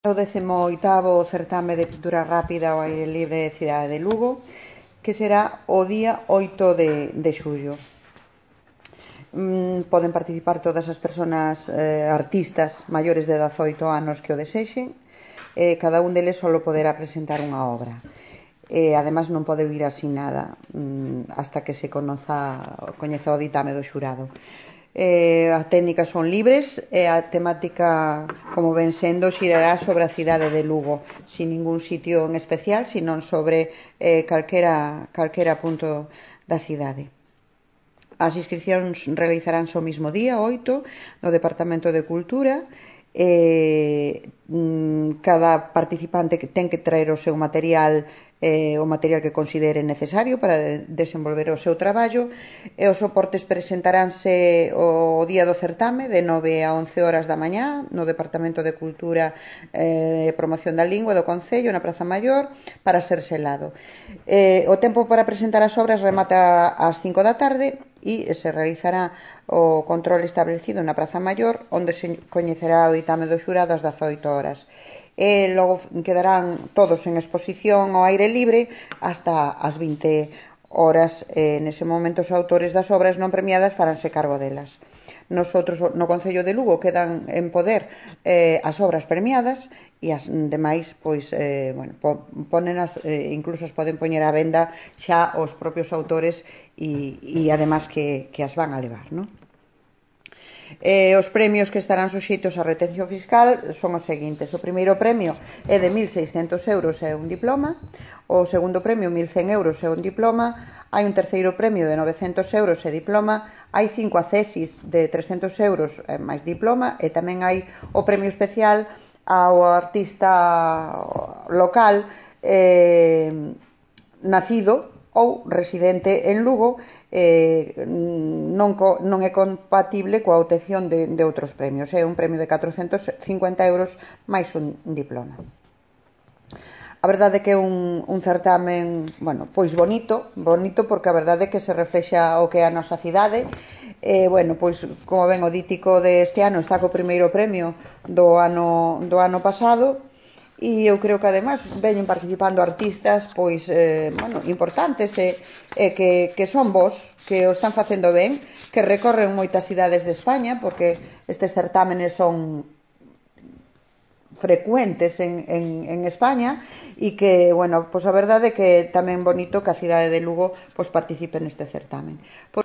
O 18º certame de pintura rápida ao aire libre de Cidade de Lugo, que será o día 8 de xullo. Poden participar todas as persoas artistas maiores de 18 anos que o desexen. Cada un deles só poderá presentar unha obra. Ademais non pode vir así nada hasta que se coñeza o ditame do xurado. As técnicas son libres e a temática, como ven sendo, xirará sobre a cidade de Lugo, sin ningún sitio en especial, senón sobre calquera punto da cidade. As inscripcións realizaránse o mismo día, 8, no Departamento de Cultura. Cada participante ten que traer o seu material, o material que considere necesario para desenvolver o seu traballo, e os soportes presentaránse o día do certame de 9 a 11 horas da mañá no Departamento de Cultura e Promoción da Lingua do Concello, na Praza Maior, para ser selado. O tempo para presentar as obras remata ás 5 da tarde e se realizará o control establecido na Praza Maior, onde se coñecerá o ditame do xurado ás 18 horas. E logo quedarán todos en exposición ao aire libre hasta as 20 horas. Nese momento os autores das obras non premiadas faránse cargo delas. Nosotros no Concello de Lugo quedan en poder as obras premiadas e as demais, pois, pónenas, incluso as poden poñer á venda xa os propios autores e ademais que as van a levar, non? Os premios que estarán suxeitos á retención fiscal son os seguintes. O primeiro premio é de 1.600 euros e un diploma. O segundo premio, 1.100 euros e un diploma. Hai un terceiro premio de 900 euros e diploma. Hai 5 accesis de 300 euros e máis diploma. E tamén hai o premio especial ao artista local nacido ou residente en Lugo, non é compatible coa obtención de outros premios. É un premio de 450 euros máis un diploma. A verdade é que é un certamen, pois bonito porque a verdade é que se reflexa o que é a nosa cidade. Pois, como ven, o dítico deste ano está co primeiro premio do ano pasado. E eu creo que ademais veñen participando artistas importantes que son bons, que o están facendo ben, que recorren moitas cidades de España, porque estes certámenes son frecuentes en España e que, pois a verdade é que tamén bonito que a cidade de Lugo participe neste certamen.